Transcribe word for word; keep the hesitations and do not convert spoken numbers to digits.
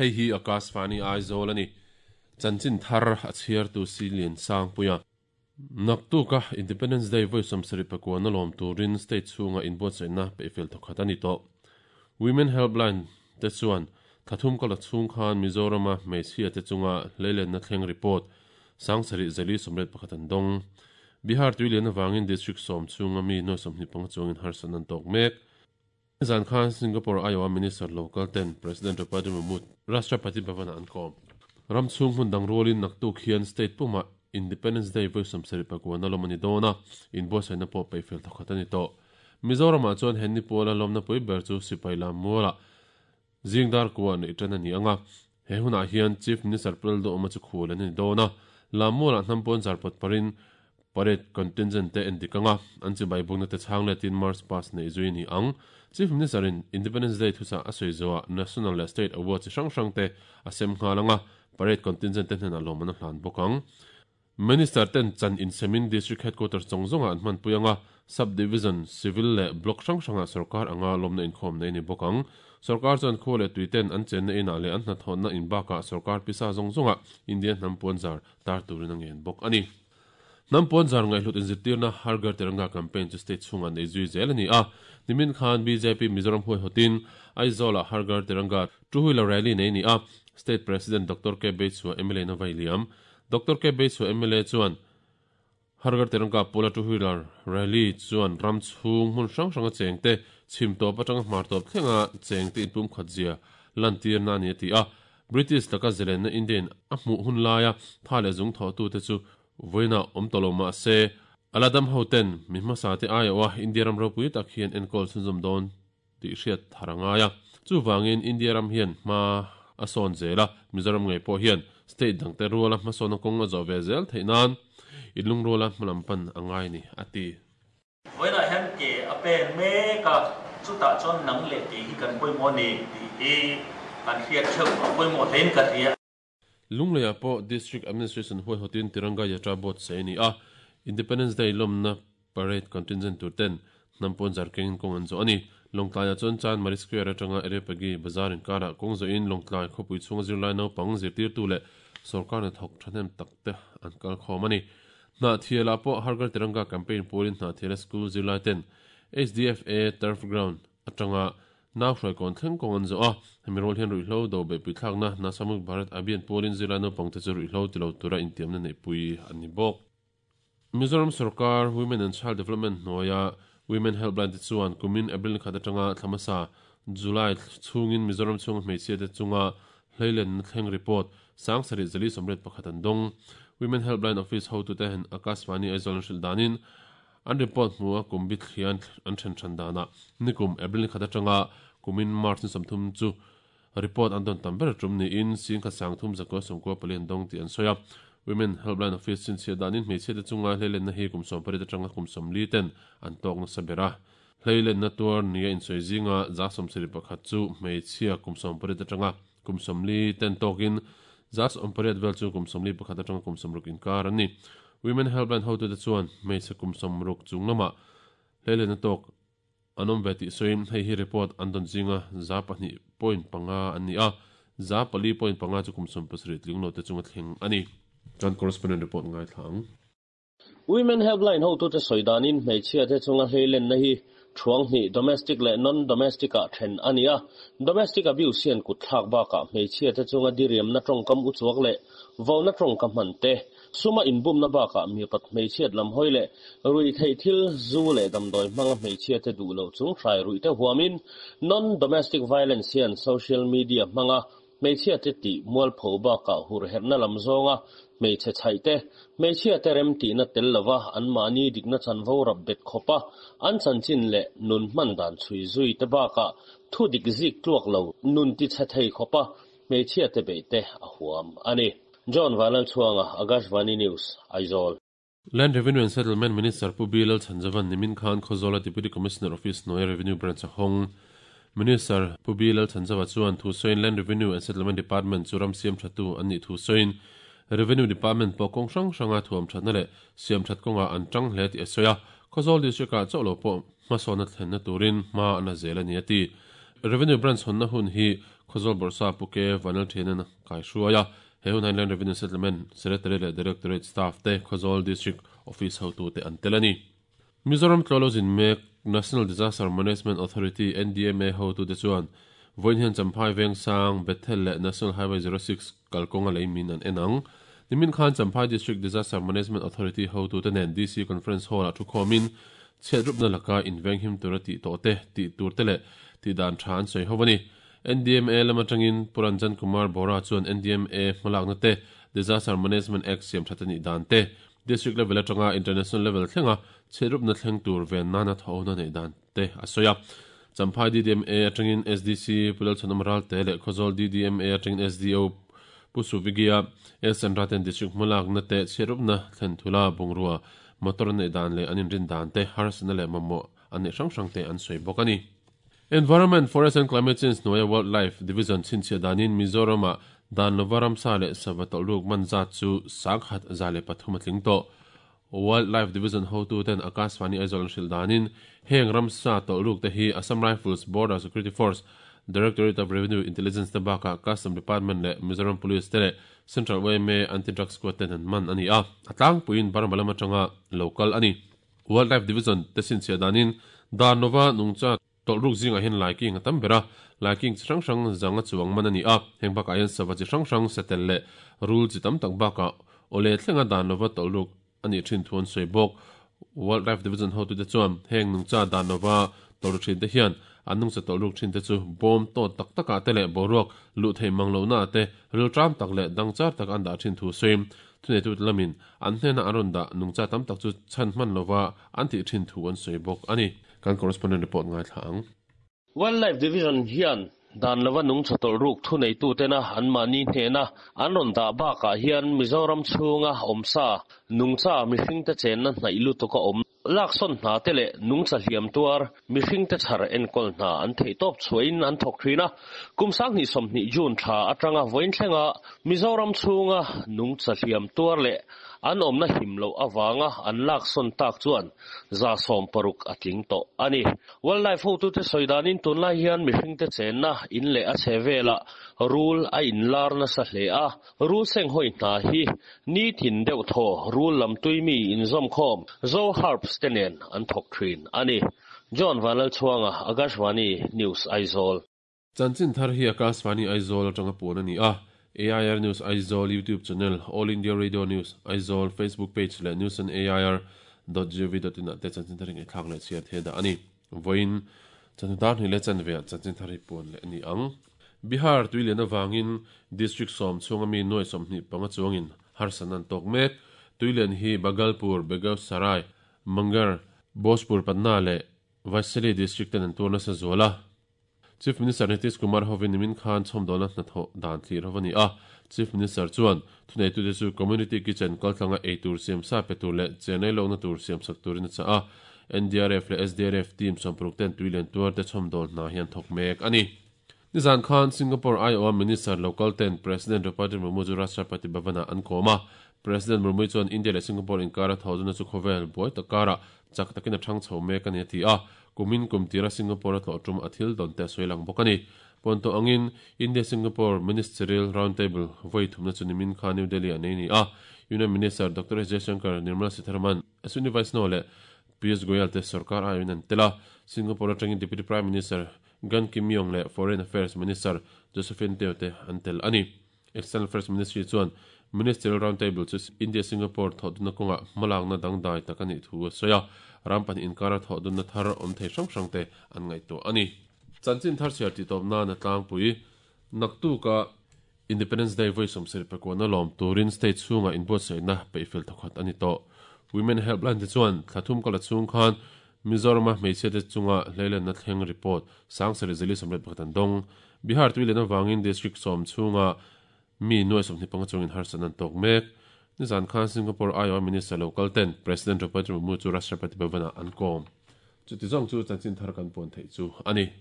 Hei hi Akashvani Aizawl ani. Chanchin thar a chhiar tu Silian Sangpuia. Naktuka Independence Day voi sawmsarih pakua na lawm turin state chhunga inbuatsaihna peihfel thawkhat a ni tawh. Women Helpline te chuan thathum kala chhung khan Mizorama hmeichhia te chunga hleilenna thleng report sangsarih zali sawmriat pakhat an dawng. Bihar tuilian awangin district sawm chhunga mi nuai sawmhnih panga chuangin harsatna an tawk mek. Zan khan Singapore Iowa Minister local ten President Draupadi Murmu Rashtrapati Bhavana an kawm. Ram chhung hmun dang rualin naktuk hian state puma Independence Day voi sawmsarih pakua na lawm a ni dawn a, inbuatsaihna pawh peihfel thawkhat a ni tawh. Mizorama chuan henni puala lawmna pui ber chu sipai lam muala zingdar kua neih tan a ni anga. He hunah hian Chief Minister Puldo awma chu khul an ni dawn a, lam mualah hnampawn zarpawt parin parade contingent te en dik anga, an chibai bukna te chhang letin March past nei zui ni ang. Chief Minister in Independence Day thusa a sawi zawah National leh State Award chi hrang hrang te a sem nghal anga, parade contingent te hnenah lawm an a hlan bawk ang. Minister ten chan in semin district headquarters chawng zawnga an hman pui anga, sub-division, civil leh block hrang hranga sarkar anga lawmna inkhawm nei ni bawk ang. Sarkar chuan khaw leh tui ten an chenna inah leh an hnathawhna in bakah sarkar pisa zawng zawnga Indian hnampuan zar tar turin a ngen bawk a ni. Hnampuan zar ngaihhlut inzirtirna Har Ghar Tiranga campaign chu state chhunga nei zui zel a ni a. Nimin khan B J P Mizoram huaihawtin Aizawlah Har Ghar Tiranga two-wheeler rally nei ni a. State President Doctor K Beichhua M L A na vai liam. Doctor K Beichhua M L A chuan Har Ghar Tiranga pula two-wheeler rally chuan ram chhung hmun hrang hranga cheng te chhim tawp atanga hmar tawp thlenga cheng te inpum khat zia lantir na ni a ti a. British laka zelenna Indian a hmuh hun laia tha leh zung thaw tu te chu voina awm tawh ma se aladam hoten mi hmasa te aiawa India ram ropui tak hian enkawl chhunzawm dawn tih hriat tharangaya. Chu wangin India ram hian hma a sawn zela Mizoram ngei pawh hian state dang te ruala hmasawn a kawng a zawh ve zel theih nan inlung ruala hmalam pan a ngai ni a ti. Voina hian ke a pen mek a chutah chuan nang leh ke hi kan pawimawh ni tih hi kan hriat theuh a pawimawh hlein ka hria. Lungleia pawh District Administration huaihawtin Tiranga Yatra board sei ni a. Independence Day lawmna parade contingent tur ten hnampuan zar kengin kawng an zawh a ni. Lawngtlaia chuan Chanmari Square atanga Erepagi Bazar inkarah kawng zawhin Lawngtlai khawpui chhunga zirlai naupang zirtirtu leh sarkar hnathawk thahnem tak te an kal khawm a ni. Hna thialah pawh Har Ghar Tiranga campaign pualin hna thiala school zirlai ten H D F A turf ground atanga nau hruai kawn thleng kawng an zawh a. Hemi rual hian ruihhlo do beihpui thlakna Nasha Mukt Bharat Abhiyan pualin zirlai naupang te chu ruihhlo ti lo tura intiamna neihpui an ni bawk. Mizoram Sarkar Women and Child Development hnuaia Women Helpline te chuan kumin April khat atanga thlamasa July chhungin Mizoram chhunga hmeichhia te chunga hleilenna thleng report sangsarih zali sawmriat pakhat an dawng. Women Helpline Office hotu te hen Akashvani Aizawl an hrilh danin an report hmua kumbi thlian an then than dana nikum April khat atanga kumin March ni sawmthum chu report an dawn tam ber tum ni in sing kha sangthum zakua sawmkua pali an dawng tih an sawi a. Women Helpline Office chin chhia danin hmeichhia te chunga hleilenna hi kum sawm pariat atanga kum sawmli ten an tawk nasa bera. Hleilenna tuar nia insawi zinga za sawmsarih pakhat chu hmeichhia kum sawm pariat atanga kum sawmli ten tawkin za sawm pariat vel chu kum sawmli pakhat atanga kum sawmruk inkar an ni. Women Helpline hotu te chuan hmeichhe kum sawmruk chung lamah hleilenna tawk an awm ve tih sawiin hei hi report an dawn zinga za pahnih point panga an ni a, za pali point panga chu kum sawm pasarih tling lo te chunga thleng a ni. Kan correspondent report ngai thlang. Women Helpline hotu te sawidanin hmeichhia te chunga hleilenna hi thuang hnih domestic leh non-domestic ah then a ni a. Domestic abuse hian kut thlak bakah hmeichhia te chunga diriamna tawngkam uchuak leh vona tawngka hman te suma inbumna bakah mi pat hmeichhiat lam hawi leh rui theih thil zu leh damdawi hmanga hmeichhia te duh lo chung hrai rui te huamin non-domestic violence hian social media hmanga hmeichhia te tih mualpho bakah hur herna lam zawnga hmeichhe chhaih te hmeichhia te rem tihna tel lova an mahni dikna chanvo rap bet khawpa an chanchin leh nun hman dan chhui zui te bakah thu dik zik tluak lo nun ti chhe thei khawpa hmeichhia te beih te a huam a ni. John Vanlal Chhuanga, Akashvani News, Aizawl. Land Revenue and Settlement Minister Pu Bilal Chanjavan Nimin Khan Khawzawla Deputy Commissioner Office hnuaia Revenue Branch a hawng. Minister Pu Bilal Chanjava chuan thu sawiin Land Revenue and Settlement Department chu ram siam thatu an nih thu sawiin Revenue Department pawh kawng hrang hranga thuam thatna leh siam that kawnga an tang hle tih a sawi a. Khawzawl district ah chauh lo pawh hmasawna thlenna turin hma an a zel a ni a ti. Revenue Branch hawnna hun hi Khawzawl Bawrhsap Pu K Vanlalthianan kai hruai a, he hun hian Land Revenue Settlement Secretary leh Directorate Staff te Khawzawl District Office hotu te an tel a ni. Mizoram tlawlozin mek National Disaster Management Authority N D M A hotu te chuan vawiin hian Champhai Vengsang Bethel leh National Highway zero six kalkawnga lei min an en ang. Nimin khan Champhai District Disaster Management Authority hotu te nen D C Conference Hall ah thu khawmin chhiat rupna laka inveng him tura tih tawh te tih tur te leh tih dan tha an sawi ho a ni. N D M A lama tangin Puranjan Kumar Bora chuan N D M A hmalakna te Disaster Management Act siam that ani dan te District level atanga international level thlenga chhiat rupna thleng tur ven nana thawna nei dan te a sawi a. Champhai D D M A atangin S D C Pulal Chanamral te leh Khawzawl D D M A atangin S D O Pusuvigia S N Raten District hmalakna te chhiat rupna thlen thula bungrua motor nei dan leh anin rin dan te harsana leh mamawh an nei hrang hrang te an sawi bawk a ni. Environment, Forest and Climate Change hnuaia Wildlife Division chhinchhiah danin Mizorama dan lova ramsa leh sava tawlh ruk man zat chu sangkhat za leh pathum a tling tawh. Wildlife Division hotu ten Akashvani Aizawl an hrilh danin heng ramsa tawlh ruk te hi Assam Rifles, Border Security Force, Directorate of Revenue Intelligence te bakah Custom Department leh Mizoram Police te leh Central Y M A Anti-Drug Squad ten an man a ni a. A tlangpuiin Burma lam atanga local a ni. Wildlife Division te chhinchhiah danin dan lova nungcha tawlh ruk zingah hian laiking a tam ber a, laiking chi hrang hrang zanga chuang man a ni a. Heng bakah hian sava chi hrang hrang satel leh rul chi tam tak bakah awle thlenga dan lova tawlh ruk a nih thin thu an sawi bawk. Wildlife Division hotu te chuan heng nungcha dan lova tawlh ruk thin te hian an nungcha tawlh ruk thin te chu bawm tawt tak takah te leh boruak luh thei mang lohna te ril tram tak leh dangchar tak an dah thin thu sawi. Thuneitu lamin an hnena an rawn dah nungcha tam tak chu chhan hman lova an tih thin thu an sawi bawk a ni. Kan correspondent report ngai thla ang. Wildlife Division hian dan lova nungcha tawlh ruk thuneitu tena an mahni hnena an rawn dah bakah hian Mizoram chhunga awmsa nungcha mihring te chenna hnaih lutuk a awm laksawn hna te leh nungcha hliam tuar mihring te chhar enkawl hna an theih tawp chhuahin an thawk thin a. Kum sanghnih sawmhnih June tha atanga vawiin thlenga Mizoram chhunga nungcha hliam tuar leh an awmna him loh awanga an laksawn tak chuan za sawm paruk a tling tawh a ni. Wildlife hotu te sawi danin tunlai hian mihring te chenna in leh a chhe velah rul a inlar nasa hle a. Rul seng hawi hna hi ni thin deuh thaw rul lam tui mi inzawm khawm Zo Herbs te nen an thawk thin a ni. John Vanlalchhuanga, Akashvani News Aizawl. Chanchin thar hi Akashvani Aizawl atanga puan a ni a. A I R News Aizawl YouTube channel, All India Radio News Aizawl Facebook page leh news on A I R dot gov dot in ah te chanchin thar hi ngaihthlak leh chhiar the dah a ni. Vawiin chanhnu hnih leh chanve ah chanchin thar hi puan leh a ni ang. Bihar tuilian awangin District sawm chhunga mi nuai sawmhnih panga chuangin harsan an tawk mek. Tuilian hi Bhagalpur, Begusarai, Munger, Bhojpur, Patna leh Vaishali District ten an tur nasa zual a. Chief Minister Nitish Kumar hovin nimin khan chhawmdawlna hnathawh dan thlir ho a ni a. Chief Minister chuan thuneitu te chu Community Kitchen kaltlanga ei tur siam sa pe tur leh chenai lohna tur siam sak turin a chah a. N D R F leh S D R F team sawmparuk ten tuilian tuar te chhawmdawl hna hian thawk mek a ni. Nizan khan Singapore I O Minister local ten President Draupadi Murmu chu Rashtrapati Bhavana an kawm a. President Murmu chuan India leh Singapore inkara thawzuna chu khawvel buai takara chak takin a thang chho mek a ni a ti a. Kumin kumtira Singapore a tlawh tum a thil dawn te sawi lang bawk a ni. Ponto angin India Singapore Ministerial Roundtable vawi thumna chu nimin khan New Delhi a nei ni a. Union Minister Doctor S Jaishankar, Nirmala Sitharaman, Ashwini Vaishnaw leh Piyush Goyal te sarkar aiin an tel a. Singapore atangin Deputy Prime Minister Gan Kim Yong leh Foreign Affairs Minister Josephine Teo te an tel a ni. External Affairs Ministry chuan Ministerial Roundtable chu India Singapore thawhdunna kawnga hmalakna dangdai tak a nih thu a sawi a. Rampan inkara thawhdunna thar awm thei hrang hrang te an ngaihtuah a ni. Chanchin thar chhiar tih tawp nan a tlangpui naktuka Independence Day vawi sawmsarih pakuana lawm turin state chhunga inbuatsaihna peihfel thawkhat a ni tawh. Women Helpline te chuan thlathum kala chhung khan Mizorama hmeichhia te chunga hleilenna thleng report sangsarih zali sawmriat pakhat an dawng. Bihar tuilian awangin District sawm chhunga mi nuai sawmhnih panga chungin harsan an tawk mek. Nizan khan Singapore I O Minister local ten President Draupadi Murmu chu Rashtrapati Bhavana an kawm. Chuti zawng chu chanchin thar kan puan theih chu a ni.